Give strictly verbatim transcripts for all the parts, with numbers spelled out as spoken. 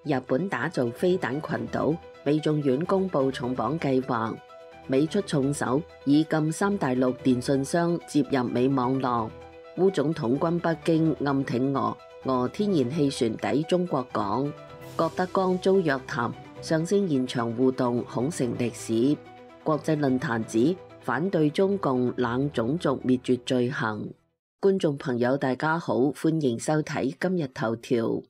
日本打造飛彈群島，美眾院公布重磅計劃，美出重手以禁三大陸電信商接入美網絡。烏總統軍北京暗挺俄，俄天然氣船抵中國港。郭德綱遭約談，上升現場互動恐成歷史。國際論壇指反對中共冷種族滅絕罪行。觀眾朋友大家好，歡迎收睇今日頭條。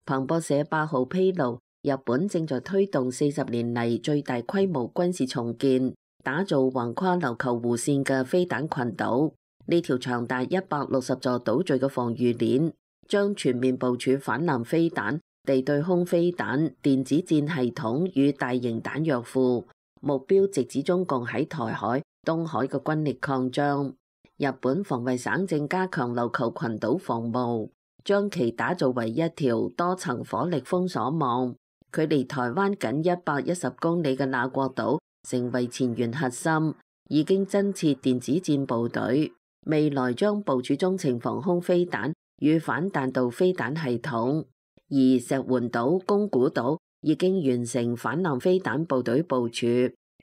彭博社八號披露，日本正在推動四十年嚟最大規模軍事重建，打造橫跨琉球湖線嘅飛彈群島。呢條長達一百六十座島嶼嘅防禦鏈，將全面部署反艦飛彈、地對空飛彈、電子戰系統與大型彈藥庫，目標直指中共喺台海、東海嘅軍力擴張。日本防衛省正加強琉球群島防務，將其打造為一條多層火力封鎖網。距離台灣僅一百一十公里嘅那國島成為前沿核心，已經增設電子戰部隊。未來將部署中程防空飛彈與反彈道飛彈系統，而石垣島、宮古島已經完成反艦飛彈部隊部署。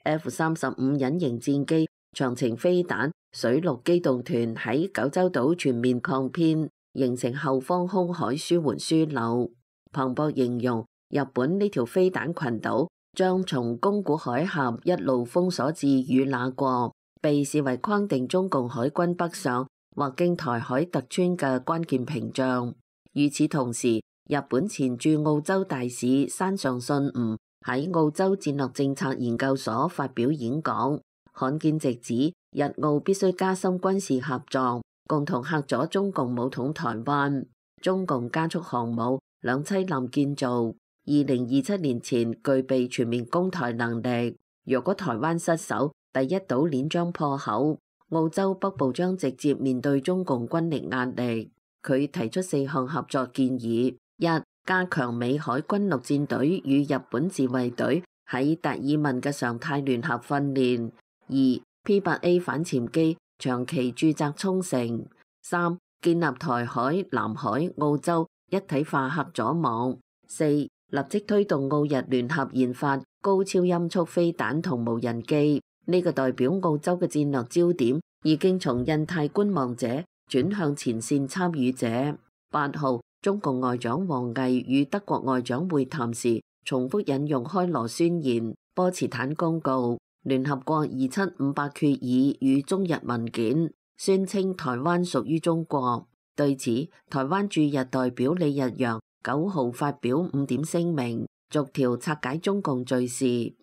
F 三十五隱形戰機、長程飛彈、水陸機動團喺九州島全面擴編，形成後方空海舒緩樞紐。彭博形容日本呢條飛彈群島將從宮古海峽一路封鎖至與那國，被視為框定中共海軍北上或經台海突穿嘅關鍵屏障。與此同時，日本前駐澳洲大使山上信吾喺澳洲戰略政策研究所發表演講，罕見直指日澳必須加深軍事合作，共同嚇阻中共武統台灣。中共加速航母兩棲艦建造，二零二七年前具備全面攻台能力。若果台灣失守，第一島鏈將破口，澳洲北部將直接面對中共軍力壓力。佢提出四項合作建議：一、加強美海軍陸戰隊與日本自衛隊喺達爾文嘅常態聯合訓練；二、P 八 A 反潛機長期駐紮沖繩；三、建立台海、南海、澳洲一體化核阻網；四、立即推動澳日聯合研發高超音速飛彈同無人機。呢個代表澳洲嘅戰略焦點已經從印太觀望者轉向前線參與者。八號，中共外長王毅與德國外長會談時，重複引用開羅宣言、波茨坦公告、聯合國二七五八決議與中日文件，宣稱台灣屬於中國。對此，台灣駐日代表李日陽九號發表五點聲明，逐條拆解中共敘事。一、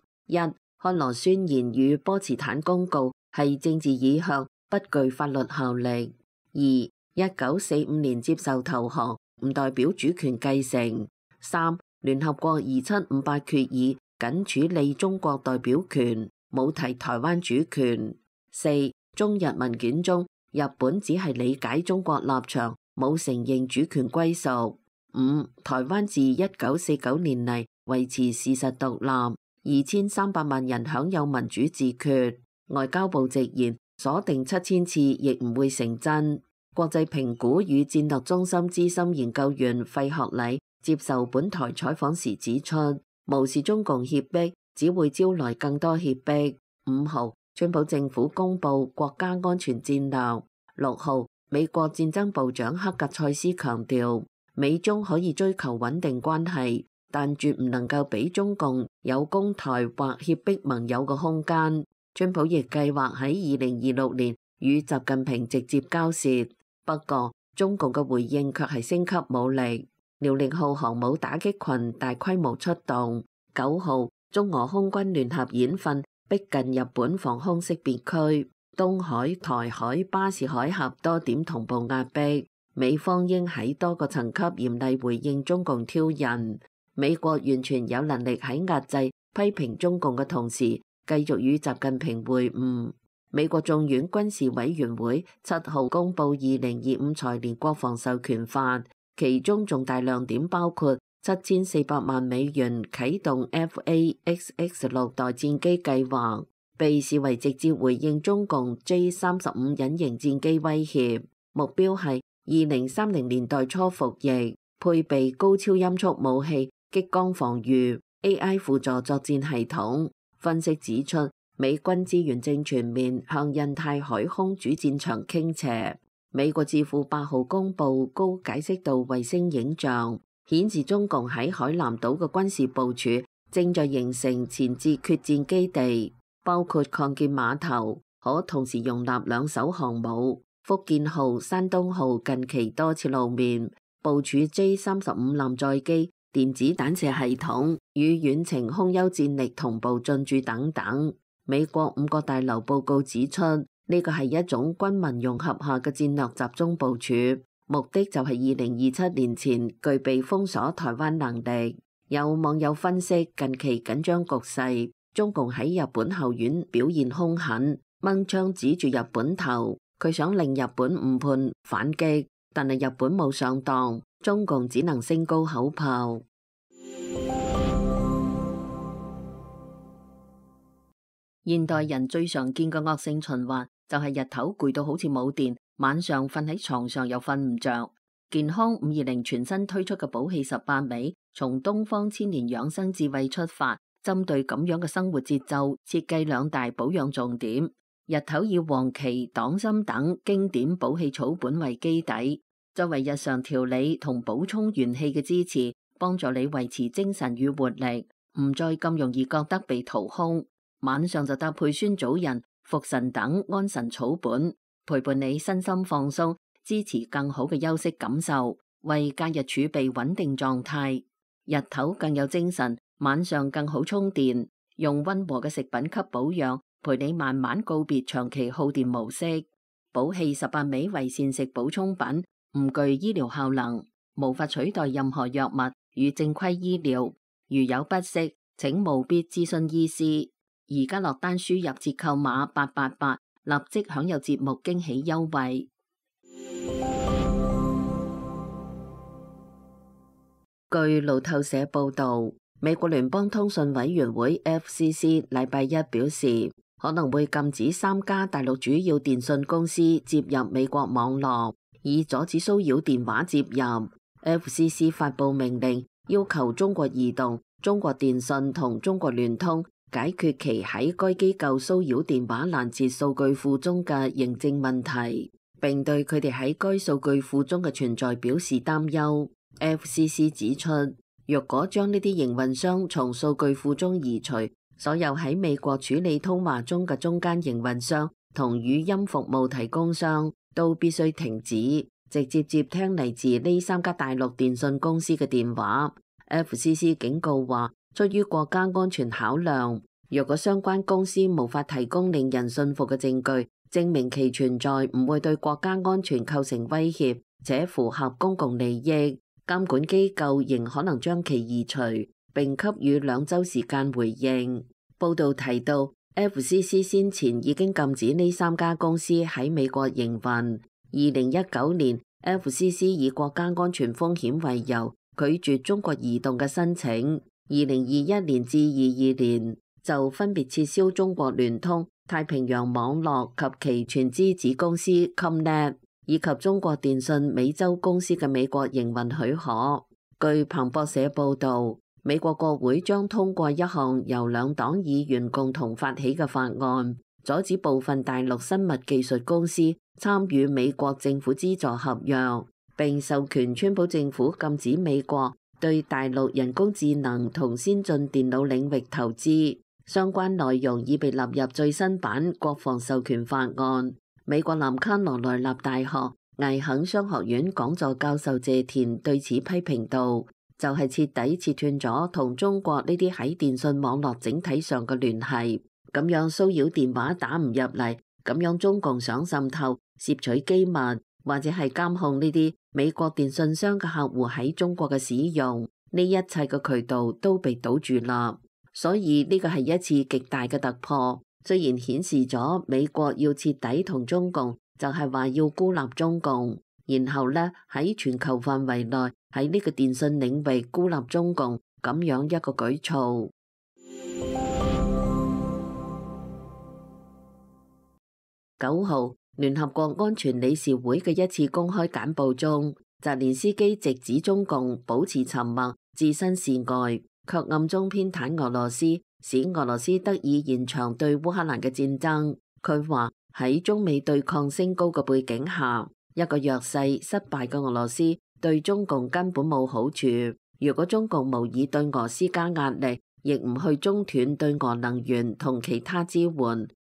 開羅宣言與波茨坦公告係政治意向，不具法律效力。二、一九四五年接受投降，唔代表主權繼承。三、聯合國二七五八決議僅處理中國代表權，冇提台灣主權。四、中日文件中，日本只係理解中國立場，冇承認主權歸屬。五、台灣自一九四九年嚟維持事實獨立。二千三百萬人享有民主自決，外交部直言鎖定七千次亦唔會成真。國際評估與戰略中心資深研究員費學禮接受本台採訪時指出，無視中共脅迫只會招來更多脅迫。五號，川普政府公布國家安全戰略。六號，美國戰爭部長克格塞斯強調，美中可以追求穩定關係，但絕唔能夠俾中共有攻台或脅迫盟友嘅空間。川普亦計劃喺二零二六年與習近平直接交涉，不過中共嘅回應卻係升級武力，遼寧號航母打擊群大規模出動。九號，中俄空軍聯合演訓逼近日本防空識別區，東海、台海、巴士海峽多點同步壓迫，美方應喺多個層級嚴厲回應中共挑釁。美國完全有能力喺壓制批評中共嘅同時，繼續與習近平會晤。美國眾院軍事委員會七號公布二零二五財年國防授權法，其中重大亮點包括七千四百萬美元啟動 F A X X 六代戰機計劃，被視為直接回應中共 J 三十五隱形戰機威脅，目標係二零三零年代初服役，配備高超音速武器、激光防禦、A I 輔助作戰系統。分析指出，美軍資源正全面向印太海空主戰場傾斜。美國智庫八號公布高解析度衛星影像，顯示中共喺海南島嘅軍事部署正在形成前置決戰基地，包括擴建碼頭，可同時容納兩艘航母福建號、山東號近期多次露面，部署 J 三十五艦載機、電子彈射系統與遠程空優戰力同步進駐等等。美國五角大樓報告指出，呢個係一種軍民融合下嘅戰略集中部署，目的就係二零二七年前具備封鎖台灣能力。有網友分析近期緊張局勢，中共喺日本後院表現兇狠，掹槍指住日本頭，佢想令日本誤判反擊，但係日本冇上當，中共只能升高口炮。現代人最常見嘅惡性循環就係日頭攰到好似冇電，晚上瞓喺床上又瞓唔着。健康五二零全新推出嘅寶氣十八味，從東方千年養生智慧出發，針對咁樣嘅生活節奏，設計兩大保養重點。日頭以黃芪、黨參等經典補氣草本為基底，作為日常調理同補充元氣嘅支持，幫助你維持精神與活力，唔再咁容易覺得被掏空。晚上就搭配酸棗仁、茯神等安神草本，陪伴你身心放鬆，支持更好嘅休息感受，為假日儲備穩定狀態。日頭更有精神，晚上更好充電。用溫和嘅食品給保養，陪你慢慢告別長期耗電模式。寶氣十八味為膳食補充品，唔具醫療效能，無法取代任何藥物與正規醫療。如有不適，請務必諮詢醫師。而家落單輸入折扣碼八八八，立即享有節目驚喜優惠。據路透社報道，美國聯邦通訊委員會 F C C 禮拜一表示，可能會禁止三家大陸主要電信公司接入美國網絡，以阻止騷擾電話接入。F C C 發佈命令，要求中國移動、中國電信同中國聯通解決其喺該機構騷擾電話攔截數據庫中嘅認證問題，並對佢哋喺該數據庫中嘅存在表示擔憂。F C C 指出，若果將呢啲營運商從數據庫中移除，所有喺美國處理通話中嘅中間營運商同語音服務提供商都必須停止直接接聽嚟自呢三家大陸電信公司嘅電話。F C C 警告話，出於國家安全考量，若果相關公司無法提供令人信服嘅證據，證明其存在唔會對國家安全構成威脅，且符合公共利益，監管機構仍可能將其移除，並給予兩週時間回應。報道提到 ，F C C 先前已經禁止呢三家公司喺美國營運。二零一九年 ，F C C 以國家安全風險為由，拒絕中國移動嘅申請。二零二一年至二二年就分別撤銷中國聯通、太平洋網絡及其全資子公司 Comnet 以及中國電信美洲公司嘅美國營運許可。據彭博社報導，美國國會將通過一項由兩黨議員共同發起嘅法案，阻止部分大陸生物技術公司參與美國政府資助合約，並授權川普政府禁止美國對大陸人工智能同先進電腦領域投資。相關內容已被納入最新版國防授權法案。美國南卡羅來納大學艾肯商學院講座教授謝田對此批評道，就係徹底切斷咗同中國呢啲喺電信網絡整體上嘅聯繫，咁樣騷擾電話打唔入嚟，咁樣中共想滲透、竊取機密或者係監控呢啲美國電信商嘅客戶喺中國嘅使用，呢一切嘅渠道都被堵住啦。所以呢個係一次極大嘅突破，雖然顯示咗美國要徹底同中共，就係話要孤立中共，然後呢喺全球範圍內喺呢個電信領域孤立中共咁樣一個舉措。九號，聯合國安全理事會嘅一次公開簡報中，澤連斯基直指中共保持沉默、置身事外，卻暗中偏袒俄羅斯，使俄羅斯得以延長對烏克蘭嘅戰爭。佢話喺中美對抗升高嘅背景下，一個弱勢失敗嘅俄羅斯對中共根本冇好處。如果中共無意對俄施加壓力，亦唔去中斷對俄能源同其他支援，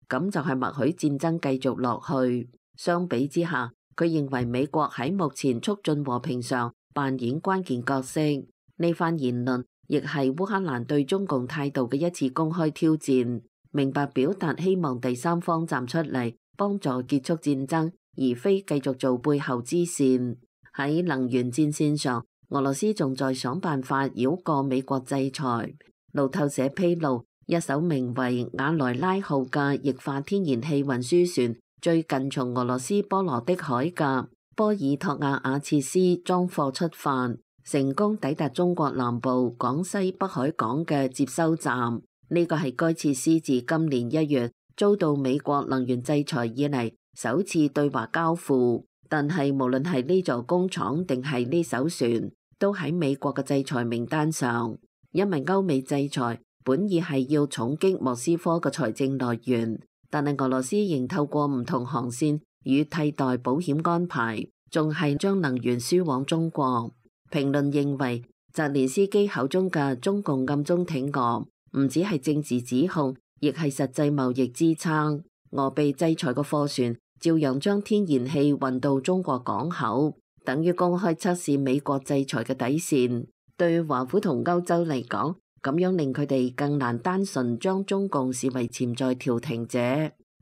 咁就係默許戰爭繼續落去。相比之下，佢認為美國喺目前促進和平上扮演關鍵角色。呢番言論亦係烏克蘭對中共態度嘅一次公開挑戰，明白表達希望第三方站出嚟幫助結束戰爭，而非繼續做背後之線。喺能源戰線上，俄羅斯仲在想辦法繞過美國制裁。路透社披露，一艘名為瓦萊拉號嘅液化天然氣運輸船最近從俄羅斯波羅的海嘅波爾托瓦亞切斯裝貨出發，成功抵達中國南部廣西北海港嘅接收站。呢個係該設施自今年一月遭到美國能源制裁以嚟首次對華交付。但係無論係呢座工廠定係呢艘船，都喺美國嘅制裁名單上。因為歐美制裁本意係要重擊莫斯科嘅財政來源，但係俄羅斯仍透過唔同航線與替代保險安排，仲係將能源輸往中國。評論認為，澤連斯基口中嘅中共暗中挺俄，唔只係政治指控，亦係實際貿易支撐。俄被制裁嘅貨船照樣將天然氣運到中國港口，等於公開測試美國制裁嘅底線。對華府同歐洲嚟講，咁樣令佢哋更難單純將中共視為潛在調停者，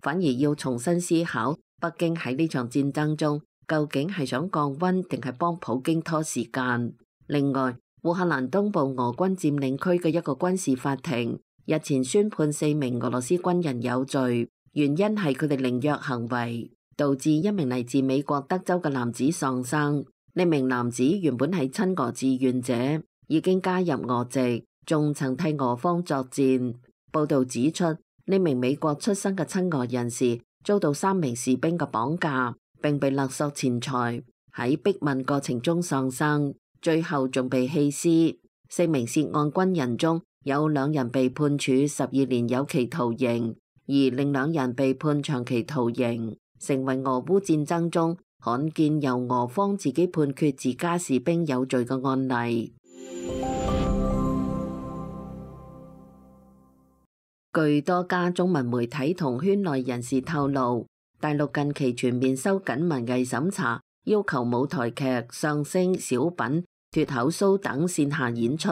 反而要重新思考北京喺呢場戰爭中究竟係想降溫定係幫普京拖時間。另外，烏克蘭東部俄軍佔領區嘅一個軍事法庭日前宣判四名俄羅斯軍人有罪，原因係佢哋凌虐行為導致一名嚟自美國德州嘅男子喪生。呢名男子原本係親俄志願者，已經加入俄籍，仲曾替俄方作戰。報道指出，呢名美國出生嘅親俄人士遭到三名士兵嘅綁架，並被勒索錢財，喺逼問過程中喪生，最後仲被棄屍。四名涉案軍人中有兩人被判處十二年有期徒刑，而另兩人被判長期徒刑，成為俄烏戰爭中罕見由俄方自己判決自家士兵有罪嘅案例。據多家中文媒體同圈內人士透露，大陸近期全面收緊文藝審查，要求舞台劇、相聲、小品、脫口騷等線下演出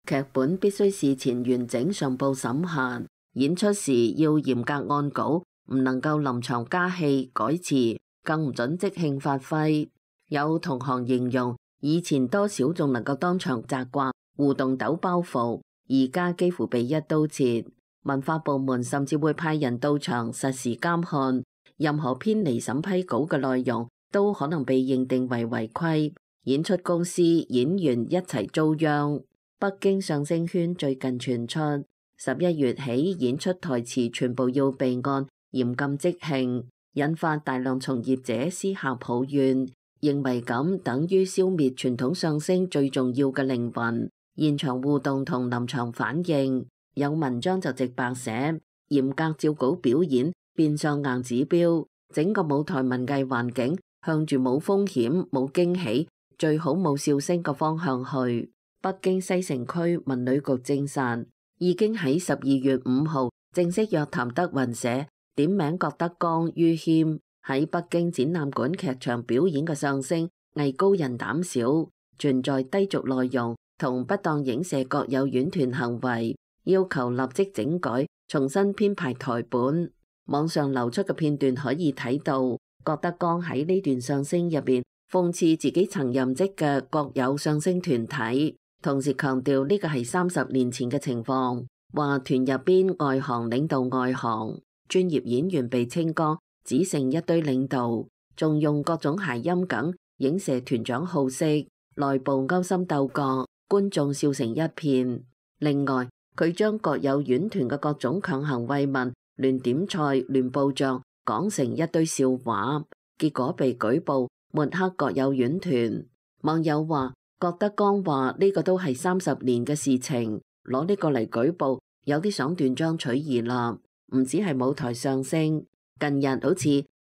劇本必須事前完整上報審核，演出時要嚴格按稿，唔能夠臨場加戲改詞，更唔准即興發揮。有同行形容，以前多少仲能夠當場責怪互動抖包袱，而家幾乎被一刀切。文化部門甚至會派人到場實時監看，任何偏離審批稿嘅內容都可能被認定為違規。演出公司、演員一齊遭殃。北京相聲圈最近傳出，十一月起演出台詞全部要備案，嚴禁即興，引發大量從業者私下抱怨，認為咁等於消滅傳統相聲最重要嘅靈魂，現場互動同臨場反應。有文章就直白寫，嚴格照稿表演，變相硬指標，整個舞台文藝環境向住冇風險、冇驚喜、最好冇笑聲嘅方向去。北京西城區文旅局證實，已經喺十二月五號正式約談德雲社，點名郭德綱、于謙喺北京展覽館劇場表演嘅相聲藝高人膽小，存在低俗內容同不當影射國有院團行為，要求立即整改，重新編排台本。網上流出嘅片段可以睇到，郭德綱喺呢段相聲入邊諷刺自己曾任職嘅國有相聲團體，同時強調呢個係三十年前嘅情況，話團入邊外行領導外行，專業演員被清光，只剩一堆領導，仲用各種諧音梗影射團長好色，內部勾心鬥角，觀眾笑成一片。另外，佢將國有院團嘅各種強行慰問、亂點菜、亂報賬、講成一堆笑話，結果被舉報抹黑國有院團。網友話覺得江話呢個都係三十年嘅事情，攞呢個嚟舉報，有啲想斷章取義啦。唔止係舞台上升，近日好似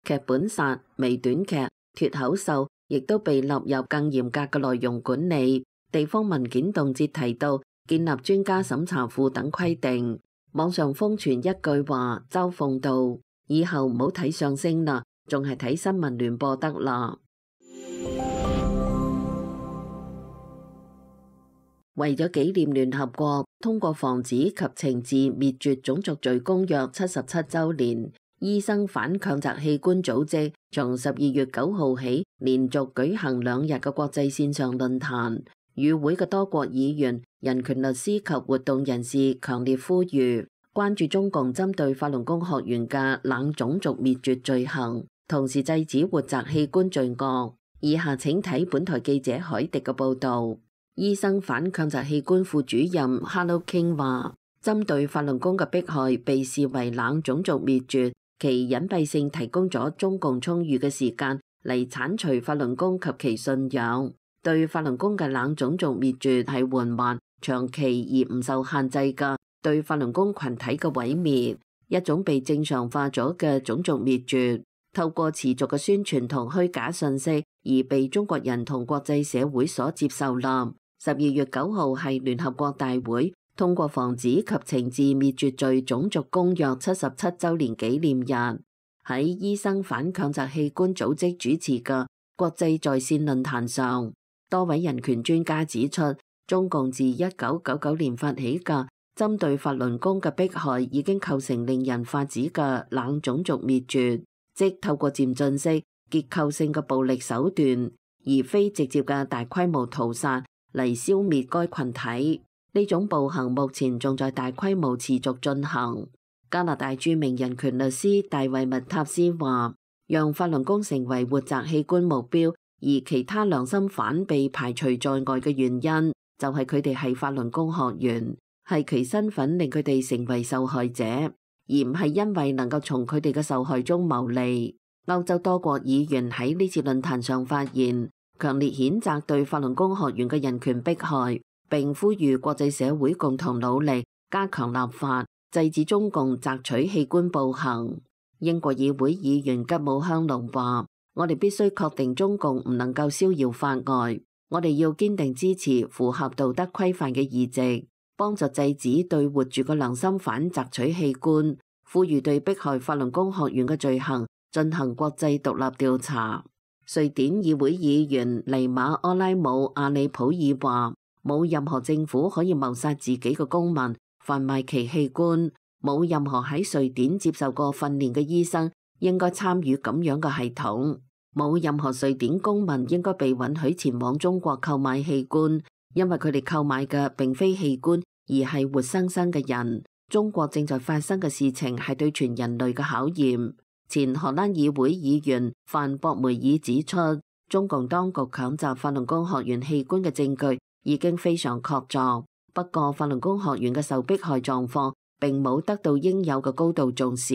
劇本殺、微短劇、脫口秀，亦都被納入更嚴格嘅內容管理。地方文件動輒提到建立專家審查庫等規定。網上瘋傳一句話，嘲諷道：以後唔好睇相聲啦，仲係睇新聞聯播得啦。為咗紀念聯合國通過防止及懲治滅絕種族罪公約七十七週年，醫生反強摘器官組織從十二月九號起連續舉行兩日嘅國際線上論壇。與會嘅多國議員、人權律師及活動人士強烈呼籲關注中共針對法輪功學員嘅冷種族滅絕罪行，同時制止活摘器官罪惡。以下請睇本台記者海迪嘅報導。醫生反強摘器官副主任 Hello King 話，針對法輪功嘅迫害被視為冷種族滅絕，其隱蔽性提供咗中共充裕嘅時間嚟剷除法輪功及其信仰。對法輪功嘅冷種族滅絕係緩慢、長期而唔受限制嘅對法輪功群體嘅毀滅，一種被正常化咗嘅種族滅絕，透過持續嘅宣傳同虛假信息而被中國人同國際社會所接受啦。十二月九號係聯合國大會通過防止及懲治滅絕罪種族公約七十七週年紀念日，喺醫生反強摘器官組織主持嘅國際在線論壇上，多位人權專家指出，中共自一九九九年發起嘅針對法輪功嘅迫害已經構成令人髮指嘅冷種族滅絕，即透過漸進式結構性嘅暴力手段，而非直接嘅大規模屠殺嚟消滅該群體。呢種暴行目前仲在大規模持續進行。加拿大著名人權律師大衛麥塔斯話，讓法輪功成為活摘器官目標，而其他良心犯被排除在外嘅原因，就係佢哋係法輪功學員，係其身份令佢哋成為受害者，而唔係因為能夠從佢哋嘅受害中牟利。歐洲多國議員喺呢次論壇上發言，強烈譴責對法輪功學員嘅人權迫害，並呼籲國際社會共同努力加強立法，制止中共摘取器官暴行。英國議會議員吉姆香農話，我哋必須確定中共唔能夠逍遙法外，我哋要堅定支持符合道德規範嘅議席，幫助制止對活住嘅良心犯摘取器官，呼籲對迫害法輪功學員嘅罪行進行國際獨立調查。瑞典議會議員尼馬柯拉姆阿里普爾話，冇任何政府可以謀殺自己嘅公民，販賣其器官，冇任何喺瑞典接受過訓練嘅醫生應該參與咁樣嘅系統，冇任何瑞典公民應該被允許前往中國購買器官，因為佢哋購買嘅並非器官，而係活生生嘅人。中國正在發生嘅事情係對全人類嘅考驗。前荷蘭議會議員范博梅爾指出，中共當局強摘法輪功學員器官嘅證據已經非常確鑿，不過法輪功學員嘅受迫害狀況並冇得到應有嘅高度重視。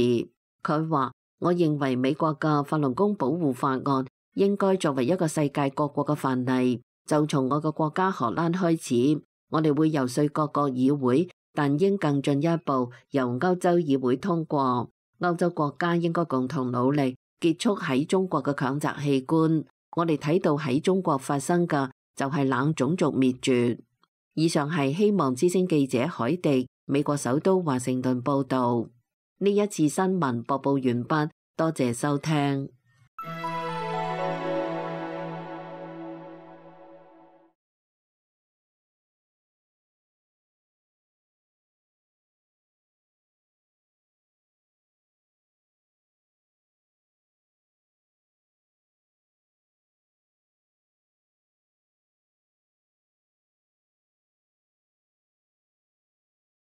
佢話，我認為美國嘅法輪功保護法案應該作為一個世界各國嘅範例，就從我嘅國家荷蘭開始，我哋會游說各國議會，但應更進一步由歐洲議會通過。歐洲國家應該共同努力結束喺中國嘅強摘器官。我哋睇到喺中國發生嘅就係冷種族滅絕。以上係希望之聲記者海迪美國首都華盛頓報道。呢一次新聞播報完畢，多謝收聽。